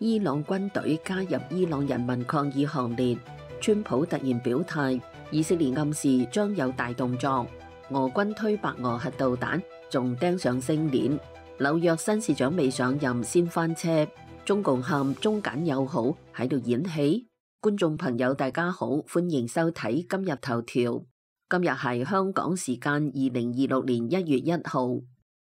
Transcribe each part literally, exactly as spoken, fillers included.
伊朗軍隊加入伊朗人民抗議行列。川普突然表態，以色列暗示將有大動作。俄軍推白俄核導彈，仲釘上星鏈。紐約新市長未上任先翻車。中共喊中柬友好喺度演戲。觀眾朋友大家好，歡迎收睇今日頭條。今日係香港時間二零二六年一月一號。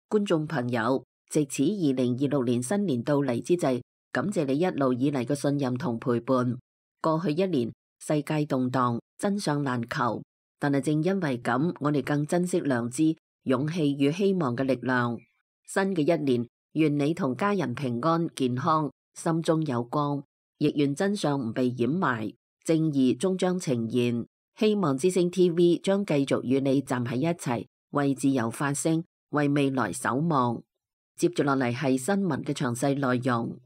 觀眾朋友，藉此二零二六年新年到嚟之際，感謝你一路以嚟嘅信任同陪伴。過去一年世界動盪，真相難求，但係正因為咁，我哋更珍惜良知、勇氣與希望嘅力量。新嘅一年，願你同家人平安健康，心中有光，亦願真相唔被掩埋，正義終將呈現。希望之聲 T V 將繼續與你站喺一齊，為自由發聲，為未來守望。接住落嚟係新聞嘅詳細內容。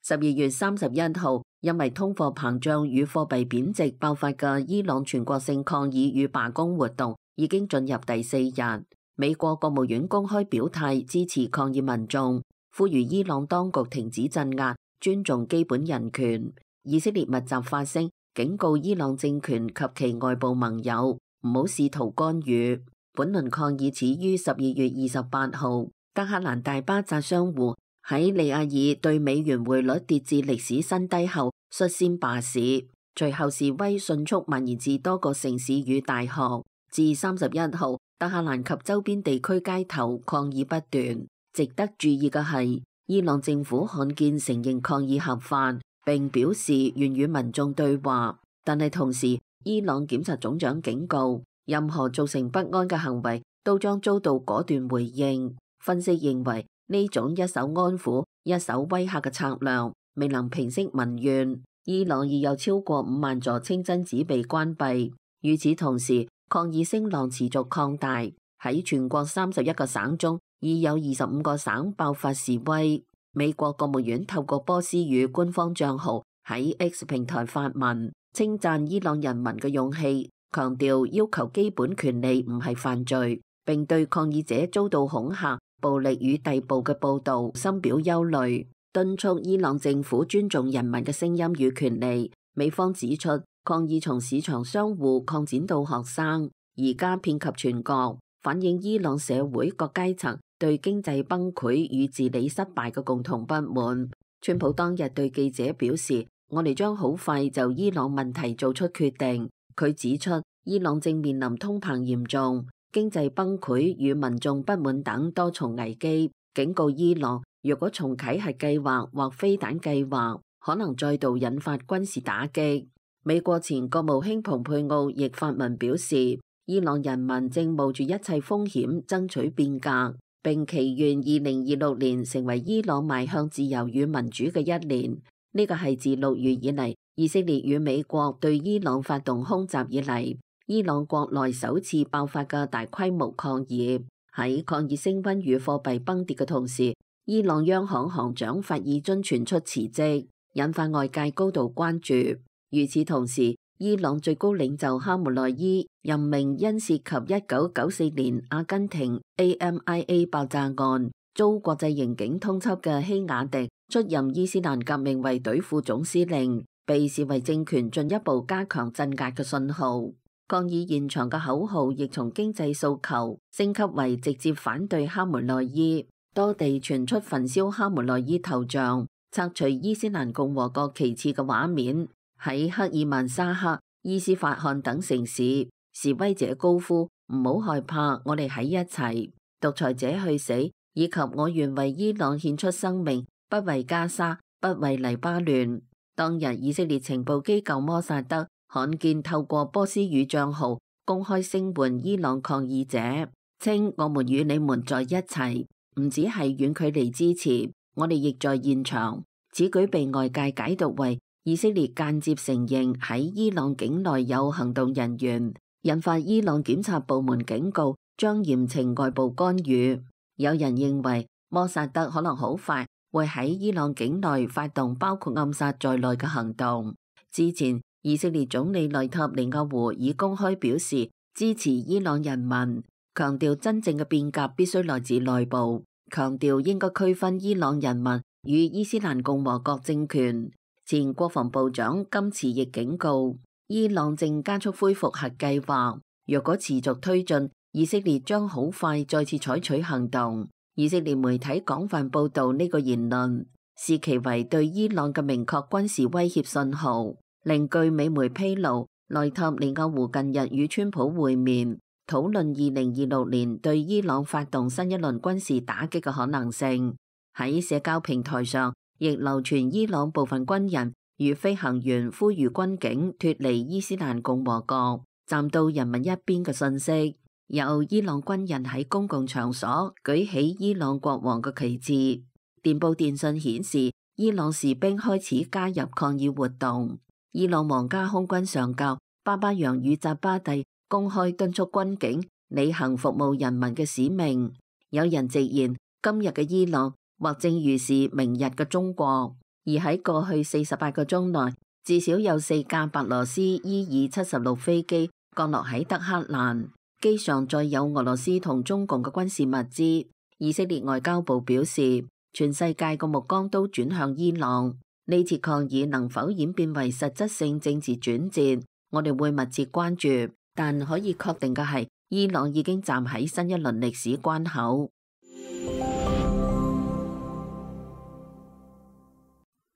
十二月三十一號，因為通貨膨脹與貨幣貶值爆發嘅伊朗全國性抗議與罷工活動已經進入第四日。美國國務院公開表態支持抗議民眾，呼籲伊朗當局停止鎮壓，尊重基本人權。以色列密集發聲，警告伊朗政權及其外部盟友唔好試圖干預。本輪抗議始於十二月二十八號，德黑蘭大巴扎商戶喺利亞爾對美元匯率跌至歷史新低後率先罷市，隨後示威迅速蔓延至多個城市與大學。至三十一號，德黑蘭及周邊地區街頭抗議不斷。值得注意嘅係，伊朗政府罕見承認抗議合法，並表示願與民眾對話。但係同時，伊朗檢察總長警告，任何造成不安嘅行為都將遭到果斷回應。分析認為，呢種一手安撫、一手威嚇嘅策略未能平息民怨。伊朗已有超過五萬座清真寺被關閉。與此同時，抗議聲浪持續擴大，喺全國三十一個省中，已有二十五個省爆發示威。美國國務院透過波斯語官方賬號喺 X 平台發文，稱讚伊朗人民嘅勇氣，強調要求基本權利唔係犯罪，並對抗議者遭到恐嚇、暴力與逮捕嘅報道深表憂慮，敦促伊朗政府尊重人民嘅聲音與權利。美方指出，抗議從市場商戶擴展到學生，而家遍及全國，反映伊朗社會各階層對經濟崩潰與治理失敗嘅共同不滿。川普當日對記者表示，我哋將好快就伊朗問題做出決定。佢指出，伊朗正面臨通膨嚴重、經濟崩潰與民眾不滿等多重危機，警告伊朗若果重啟核計劃或飛彈計劃，可能再度引發軍事打擊。美國前國務卿蓬佩奧亦發文表示，伊朗人民正冒住一切風險爭取變革，並祈願二零二六年成為伊朗邁向自由與民主嘅一年。呢個係自六月以嚟，以色列與美國對伊朗發動空襲以嚟，伊朗國內首次爆發嘅大規模抗議。喺抗議升溫與貨幣崩跌嘅同時，伊朗央行行長法爾津傳出辭職，引發外界高度關注。與此同時，伊朗最高領袖哈梅內伊任命因涉及一九九四年阿根廷 A M I A 爆炸案遭國際刑警通緝嘅希雅迪出任伊斯蘭革命衛隊副總司令，被視為政權進一步加強鎮壓嘅信號。抗議現場嘅口號亦從經濟訴求升級為直接反對哈梅內伊，多地傳出焚燒哈梅內伊頭像、拆除伊斯蘭共和國旗幟嘅畫面。喺克爾曼沙克、伊斯法罕等城市，示威者高呼唔好害怕，我哋喺一齊，獨裁者去死，以及我願為伊朗獻出生命，不為加沙，不為黎巴嫩。當日以色列情報機構摩薩德罕見透過波斯語賬號公開聲援伊朗抗議者，稱我們與你們在一齊，唔只係遠距離支持，我哋亦在現場。此舉被外界解讀為以色列間接承認喺伊朗境內有行動人員，引發伊朗檢察部門警告將嚴懲外部干預。有人認為摩薩德可能好快會喺伊朗境內發動包括暗殺在內嘅行動。之前以色列總理內塔尼亞胡已公開表示支持伊朗人民，強調真正嘅變革必須來自內部，強調應該區分伊朗人民與伊斯蘭共和國政權。前國防部長金池亦警告，伊朗正加速恢復核計劃，若果持續推進，以色列將好快再次採取行動。以色列媒體廣泛報導呢個言論，視其為對伊朗嘅明確軍事威脅信號。另據美媒披露，內塔尼亞胡近日與川普會面，討論二零二六年對伊朗發動新一輪軍事打擊嘅可能性。喺社交平台上，亦流傳伊朗部分軍人與飛行員呼籲軍警脫離伊斯蘭共和國，站到人民一邊嘅信息。有伊朗軍人喺公共場所舉起伊朗國王嘅旗幟。電報電訊顯示，伊朗士兵開始加入抗議活動。伊朗皇家空軍上校巴巴揚與扎巴蒂公開敦促軍警履行服務人民嘅使命。有人直言，今日嘅伊朗或正預示明日嘅中國。而喺過去四十八個鐘內，至少有四架白羅斯伊爾七十六飛機降落喺德黑蘭，機上載有俄羅斯同中共嘅軍事物資。以色列外交部表示，全世界嘅目光都轉向伊朗。呢次抗議能否演變為實質性政治轉折，我哋會密切關注。但可以確定嘅係，伊朗已經站喺新一輪歷史關口。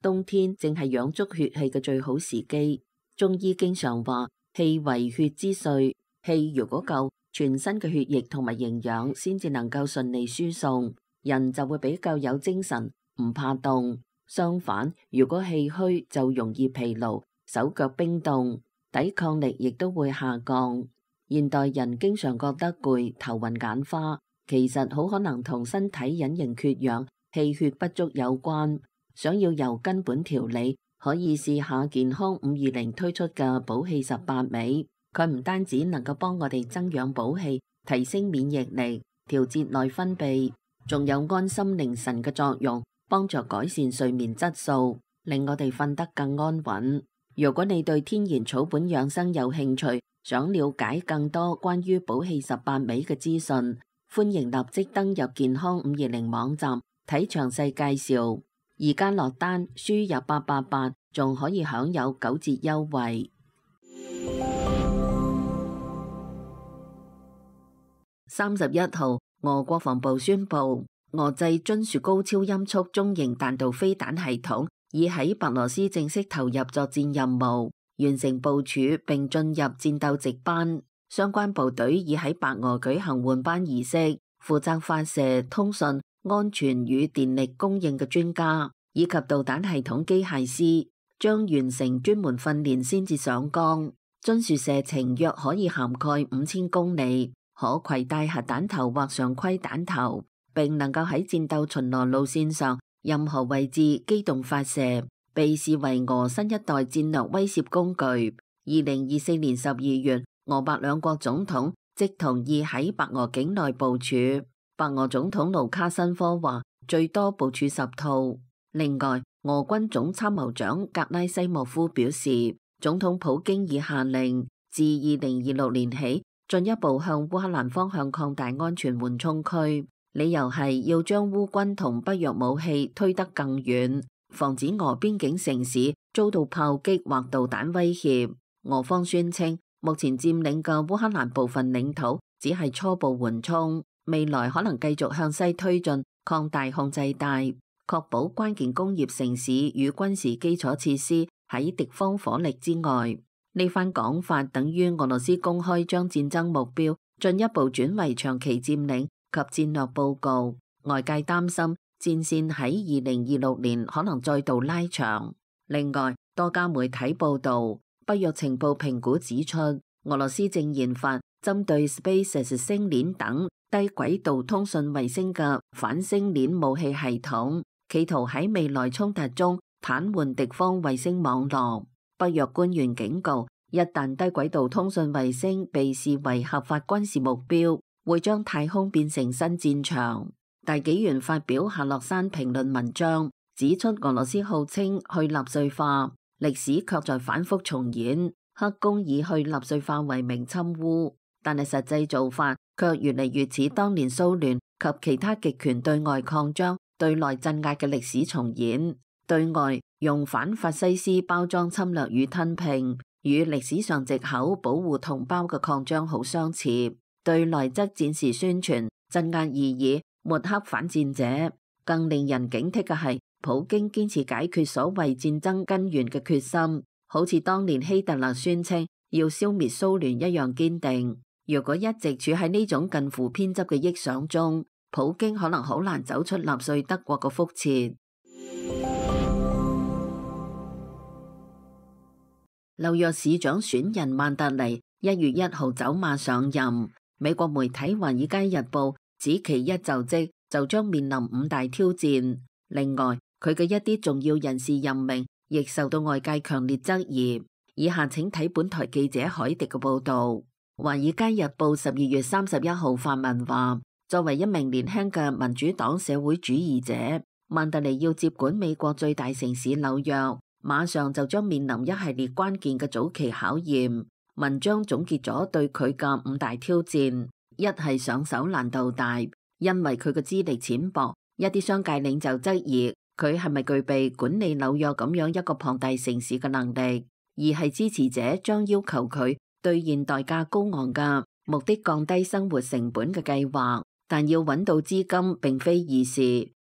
冬天正係養足血氣嘅最好時機。中醫經常話，氣為血之髓，氣如果夠，全身嘅血液同埋營養先至能夠順利輸送，人就會比較有精神，唔怕凍。相反，如果氣虛就容易疲勞，手腳冰凍，抵抗力亦都會下降。現代人經常覺得攰、頭暈眼花，其實好可能同身體隱形缺氧、氣血不足有關。想要由根本調理，可以試下健康五二零推出嘅補氣十八味。佢唔單止能夠幫我哋增養補氣、提升免疫力、調節內分泌，仲有安心寧神嘅作用，幫助改善睡眠質素，令我哋瞓得更安穩。如果你對天然草本養生有興趣，想了解更多關於補氣十八味嘅資訊，歡迎立即登入健康五二零網站睇詳細介紹。而家落單輸入八八八，仲可以享有九折優惠。三十一號，俄國防部宣布，俄製津樹高超音速中型彈道飛彈系統已喺白羅斯正式投入作戰任務，完成部署並進入戰鬥值班。相關部隊已喺白俄舉行換班儀式，負責發射、通訊、安全與電力供應嘅專家以及導彈系統機械師將完成專門訓練先至上崗。津樹射程約可以涵蓋五千公里，可攜帶核彈頭或常規彈頭，並能夠喺戰鬥巡邏路線上任何位置機動發射，被視為俄新一代戰略威懾工具。二零二四年十二月，俄白兩國總統即同意喺白俄境內部署。白俄總統盧卡申科話最多部署十套。另外，俄軍總參謀長格拉西莫夫表示，總統普京已下令自二零二六年起進一步向烏克蘭方向擴大安全緩衝區，理由係要將烏軍同北約武器推得更遠，防止俄邊境城市遭到炮擊或導彈威脅。俄方宣稱，目前佔領嘅烏克蘭部分領土只係初步緩衝，未來可能繼續向西推進，擴大控制帶，確保關鍵工業城市與軍事基礎設施喺敵方火力之外。呢番講法等於俄羅斯公開將戰爭目標進一步轉為長期佔領及戰略報告。外界擔心戰線喺二零二六年可能再度拉長。另外，多家媒體報道，北約情報評估指出，俄羅斯正研發針對 SpaceX 星鏈等低軌道通訊衛星嘅反星鏈武器系統，企圖喺未來衝突中癱瘓敵方衛星網絡。北約官員警告，一旦低軌道通訊衛星被視為合法軍事目標，會將太空變成新戰場。大紀元發表夏洛山評論文章，指出俄羅斯號稱去納粹化，歷史卻在反覆重演。黑宮以去納粹化為名侵烏，但係實際做法卻越嚟越似當年蘇聯及其他極權對外擴張、對內鎮壓嘅歷史重演。對外用反法西斯包裝侵略與吞併，與歷史上藉口保護同胞嘅擴張好相似；對內則展示宣傳、鎮壓異議、抹黑反戰者。更令人警惕嘅係，普京堅持解決所謂戰爭根源嘅決心，好似當年希特勒宣稱要消滅蘇聯一樣堅定。如果一直處喺呢種近乎偏執嘅臆想中，普京可能好難走出納粹德國嘅覆轍。紐約市長選人曼達尼一月一號走馬上任，美國媒體《華爾街日報》指其一就職就將面臨五大挑戰。另外，佢嘅一啲重要人事任命亦受到外界強烈質疑。以下請睇本台記者海迪嘅報道。《華爾街日報》十二月三十一號發文話，作為一名年輕嘅民主黨社會主義者，曼達尼要接管美國最大城市紐約，馬上就將面臨一系列關鍵嘅早期考驗。文章總結咗對佢嘅五大挑戰：一係上手難度大，因為佢嘅資歷淺薄，一啲商界領袖質疑佢係咪具備管理紐約咁樣一個龐大城市嘅能力；二係支持者將要求佢兌現代價高昂嘅目的降低生活成本嘅計劃，但要揾到資金並非易事。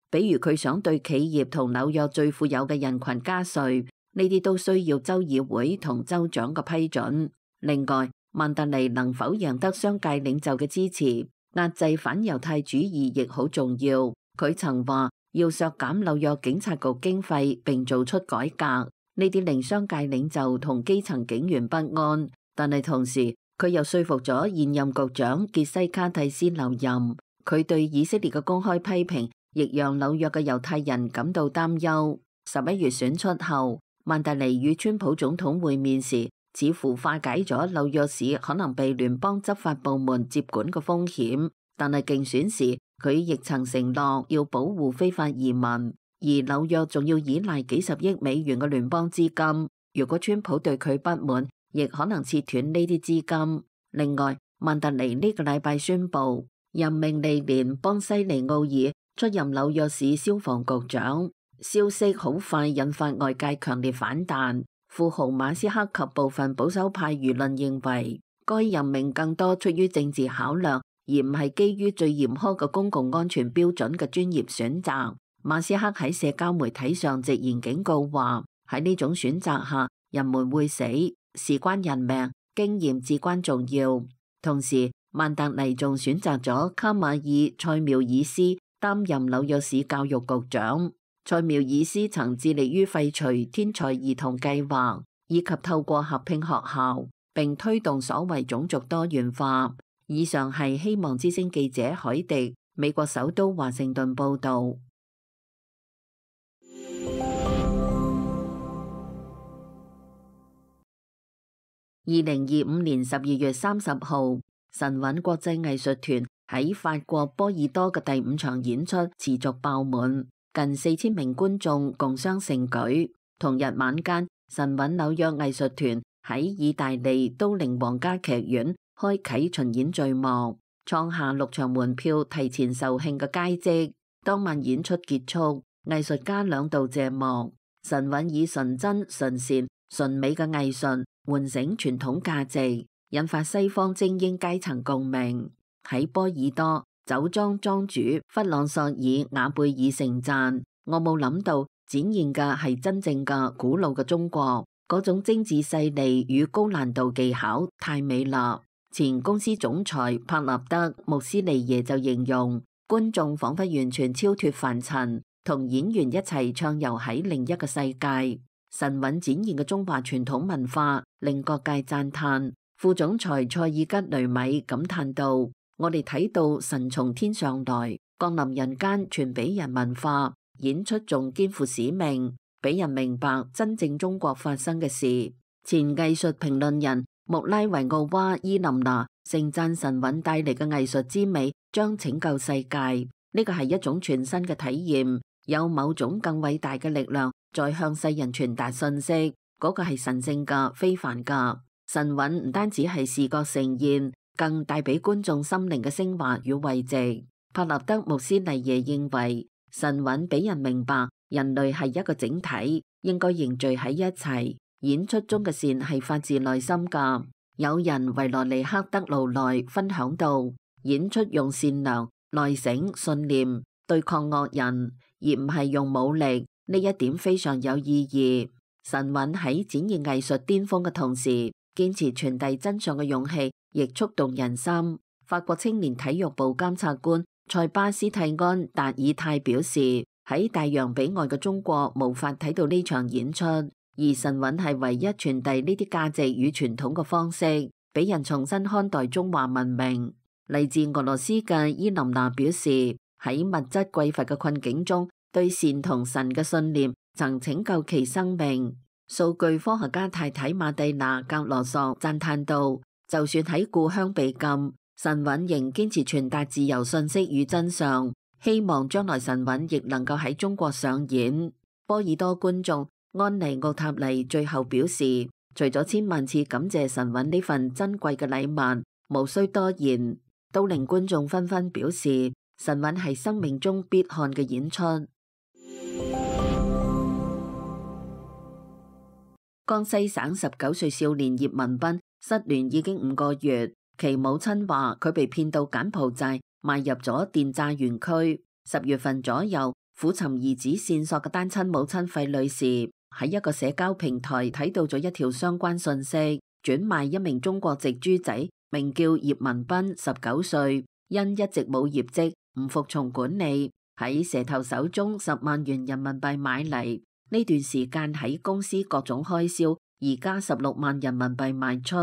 比如佢想對企業同紐約最富有嘅人群加稅，呢啲都需要州議會同州長嘅批准。另外，曼達尼能否贏得商界領袖嘅支持，壓制反猶太主義亦好重要。佢曾話要削減紐約警察局經費並做出改革，呢啲令商界領袖同基層警員不安。但係同時，佢又說服咗現任局長傑西卡蒂斯留任。佢對以色列嘅公開批評，亦讓紐約嘅猶太人感到擔憂。十一月選出後，曼達尼與川普總統會面時，似乎化解咗紐約市可能被聯邦執法部門接管嘅風險。但係競選時，佢亦曾承諾要保護非法移民，而紐約仲要依賴幾十億美元嘅聯邦資金。如果川普對佢不滿，亦可能切斷呢啲資金。另外，曼達尼呢個禮拜宣布任命利連邦西尼奧爾出任紐約市消防局長，消息好快引發外界強烈反彈。富豪馬斯克及部分保守派輿論認為，該任命更多出於政治考量，而唔係基於最嚴苛嘅公共安全標準嘅專業選擇。馬斯克喺社交媒體上直言警告話，喺呢種選擇下，人們會死。事關人命，經驗至關重要。同時，曼達尼仲選擇咗卡馬爾塞繆爾斯擔任紐約市教育局長。塞繆爾斯曾致力於廢除天才兒童計劃，以及透過合併學校並推動所謂種族多元化。以上係希望之聲記者海迪，美國首都華盛頓報道。二零二五年十二月三十號，神韻國際藝術團喺法國波爾多嘅第五場演出持續爆滿，近四千名觀眾共襄盛舉。同日晚間，神韻紐約藝術團喺意大利都靈皇家劇院開啟巡演序幕，創下六場門票提前售罄嘅佳績。當晚演出結束，藝術家兩度謝幕。神韻以純真、純善、純美嘅藝術喚醒傳統價值，引發西方精英階層共鳴。喺波爾多，酒莊莊主弗朗索爾瓦貝爾盛讚：我冇諗到展現嘅係真正嘅古老嘅中國，嗰種精緻細膩與高難度技巧太美啦。前公司總裁帕納德穆斯利耶就形容，觀眾仿佛完全超脫凡塵，同演員一齊暢遊喺另一個世界。神韻展現嘅中華傳統文化令各界讚嘆。副總裁塞爾吉雷米感嘆道：我哋睇到神從天上來，降臨人間，傳俾人文化。演出仲肩負使命，俾人明白真正中國發生嘅事。前藝術評論人穆拉維奧娃伊琳娜盛讚神韻帶嚟嘅藝術之美將拯救世界。呢個係一種全新嘅體驗，有某種更偉大嘅力量在向世人傳達信息，嗰個係神聖嘅、非凡嘅。神韻唔單止係視覺盛宴，更帶俾觀眾心靈嘅升華與慰藉。帕納德穆斯尼耶認為，神韻俾人明白人類係一個整體，應該凝聚喺一齊。演出中嘅善係發自內心㗎。有人維羅尼克德魯內分享到，演出用善良、內省、信念對抗惡人，而唔係用武力，呢一點非常有意義。神韻喺展現藝術巔峰嘅同時，堅持傳遞真相嘅勇氣亦觸動人心。法國青年體育部監察官塞巴斯蒂安達爾泰表示，喺大洋彼岸嘅中國無法睇到呢場演出，而神韻係唯一傳遞呢啲價值與傳統嘅方式，俾人重新看待中華文明。嚟自俄羅斯嘅伊琳娜表示，喺物質匱乏嘅困境中，對善同神嘅信念曾拯救其生命。數據科學家太太馬蒂娜格羅索讚嘆道，就算喺故鄉被禁，神韻仍堅持傳達自由信息與真相，希望將來神韻亦能夠喺中國上演。波爾多觀眾安妮奧塔尼最後表示，除咗千萬次感謝神韻呢份珍貴嘅禮物，無需多言，都令觀眾紛紛表示神韻係生命中必看嘅演出。江西省十九歲少年葉文斌失聯已經五個月，其母親話佢被騙到柬埔寨，邁入咗電詐園區。十月份左右，苦尋兒子線索嘅單親母親費女士喺一個社交平台睇到咗一條相關信息，轉賣一名中國籍豬仔，名叫葉文斌，十九歲，因一直冇業績，唔服從管理，喺蛇頭手中十萬元人民幣買嚟。呢段時間喺公司各種開銷，而家十六萬人民幣賣出。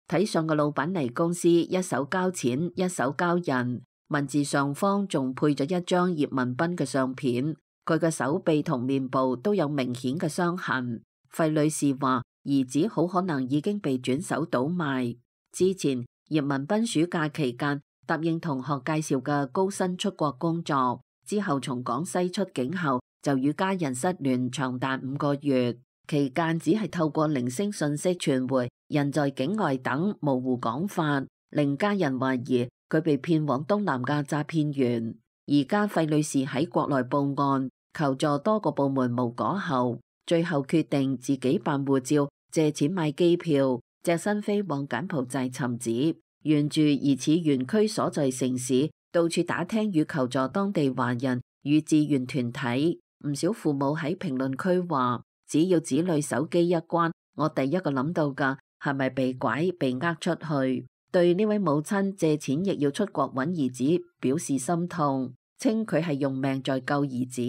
睇上個老闆嚟公司，一手交錢，一手交人。文字上方仲配咗一張葉文斌嘅相片，佢嘅手臂同面部都有明顯嘅傷痕。費女士話，兒子好可能已經被轉手倒賣。之前葉文斌暑假期間答應同學介紹嘅高薪出國工作，之後從廣西出境後，就與家人失聯長達五個月，期間只係透過零星信息傳回人在境外等模糊講法，令家人懷疑佢被騙往東南亞詐騙園。而家費女士喺國內報案求助多個部門無果後，最後決定自己辦護照，借錢買機票，隻身飛往柬埔寨尋子，沿住疑似園區所在城市，到處打聽與求助當地華人與志願團體。唔少父母喺評論區話，只要子女手機一關，我第一個諗到嘅係咪被拐被呃出去。對呢位母親借錢亦要出國揾兒子表示心痛，稱佢係用命在救兒子。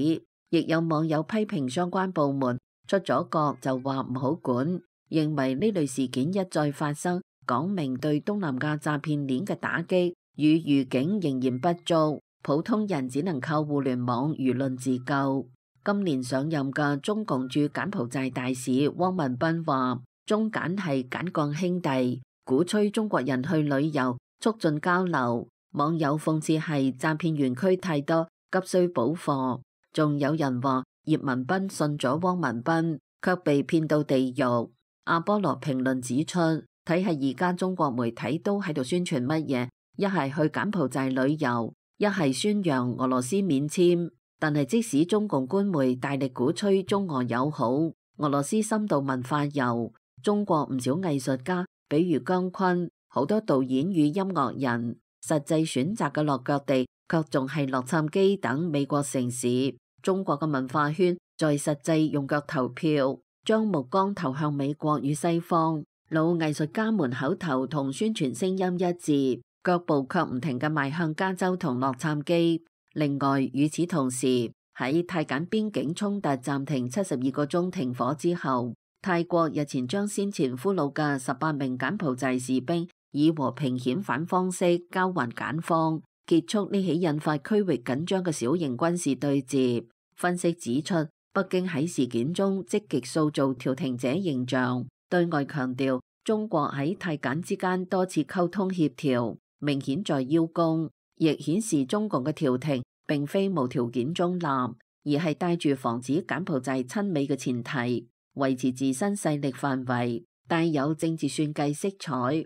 亦有網友批評相關部門出咗國就話唔好管，認為呢類事件一再發生，講明對東南亞詐騙鏈嘅打擊與預警仍然不足，普通人只能靠互聯網輿論自救。今年上任嘅中共駐柬埔寨大使汪文斌話，中柬係柬鋼兄弟，鼓吹中國人去旅遊，促進交流。網友諷刺係詐騙園區太多，急需補貨。仲有人話葉文斌信咗汪文斌，卻被騙到地獄。阿波羅評論指出，睇下而家中國媒體都喺度宣傳乜嘢，一係去柬埔寨旅遊，一係宣揚俄羅斯免簽。但係即使中共官媒大力鼓吹中俄友好、俄羅斯深度文化遊，中國唔少藝術家，比如姜昆，好多導演與音樂人，實際選擇嘅落腳地卻仲係洛杉磯等美國城市。中國嘅文化圈在實際用腳投票，將目光投向美國與西方。老藝術家們口頭同宣傳聲音一致，腳步卻唔停嘅邁向加州同洛杉磯。另外，與此同時，喺泰柬邊境衝突暫停七十二個鐘停火之後，泰國日前將先前俘虜嘅十八名柬埔寨士兵以和平遣返方式交還柬方，結束呢起引發區域緊張嘅小型軍事對接。分析指出，北京喺事件中積極塑造調停者形象，對外強調中國喺泰柬之間多次溝通協調，明顯在邀功，亦顯示中共嘅調停並非無條件中立，而係帶住防止柬埔寨親美嘅前提，維持自身勢力範圍，帶有政治算計色彩。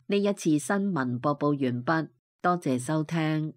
呢一次新聞播報完畢，多謝收聽。